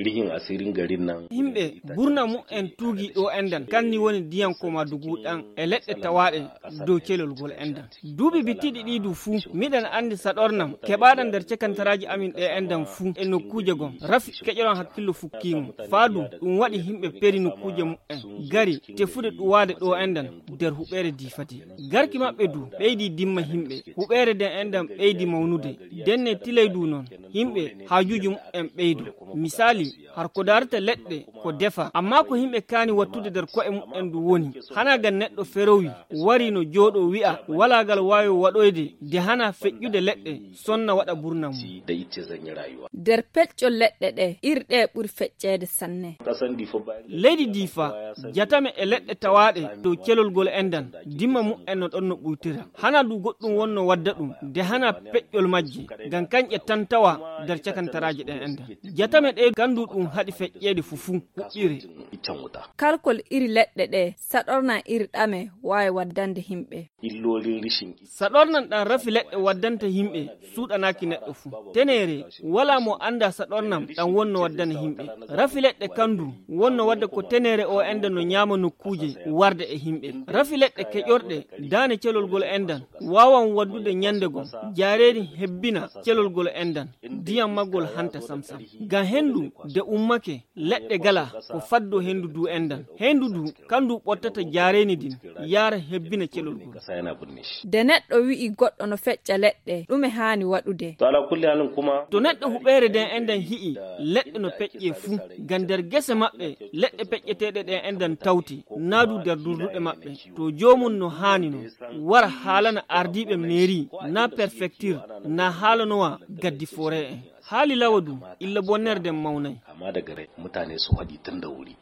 rihin asirin garin nan. Himɓe burna mu en tuugi ɗo endan kanni woni diyan ko madugu ɗan e leɗɗe tawaɗe dow kelolgol endan. Duuɓi bittiɗi ɗiɗu fuu miɗen andi saɗornam keɓaɗan nder cekantaraji amin ɗe endan fuu e nokkuje gon rafi keƴeron hakkillo fukkimo faadu ɗum waɗi himɓe peri nokkuje mu'en gari tefude ɗuwade ɗo endan nder huɓere difati. Garki maɓɓe du ɓeydi dimma himɓe huɓere den endan ɓeydi mawnude denne tilay du non himɓe hajuji mu'en ɓeydu. Misali har ko darata leɗɗe ko defa amma ko himɓe kaani wattude nder ko'e mu'en du woni hanagal neɗɗo ferowi wari no jooɗo wi'a walagal wawi waɗoyde de hana feƴƴude leɗɗe sonna waɗa burna mum. Nder peccol leɗɗe ɗe irɗe ɓuri feccede sanne. Leydi Difa jatame e leɗɗe tawaɗe dow kelolgol endan dimma mu'en no ɗon no ɓuytira hana du goɗɗum wonno wadda ɗum de hana peƴƴol majje ngam kanƴe tan tawa nder cakantaraji ɗen endan jatame ɗe gandu ɗum haɗi feƴƴede fufu huɓɓire. Kalkol iri leɗɗe ɗe saɗorna iri ɗame wawi waddande himɓe. Saɗornan ɗan rafi leɗɗe waddanta himɓe suɗanaki neɗɗo fu tenere wala mo anda saɗornam ɗan wonno waddana himɓe rafi leɗɗe kandu wonno wadda ko tenere o endan no ñama nokkuje warde e himɓe rafi leɗɗe keƴorɗe dane celolgol endan wawan waddude ñandegol jareedi hebbina celolgol endan diyam maggol hanta samsam ngam hendu de ummake leɗɗe gala ko faddo hendu du endan hendu du kandu ɓottata jareeni din yara hebbina celolgol. De neɗɗo wi'i goɗɗo no fecca leɗɗe ɗume hani waɗude. To neɗɗo huɓere den endan hi'i leɗɗe no peƴƴe fuu ngam nder gese maɓɓe leɗɗe peƴƴeteɗe ɗen endan tawti naadu nder durduɗe maɓɓe to jomum no hani no wara haalana ardiɓe mairie na préfecture na haalanowa gaddi forêt en haali lawadu illa bonnerde mawnay amma daga mutane su haɗi tun da wuri.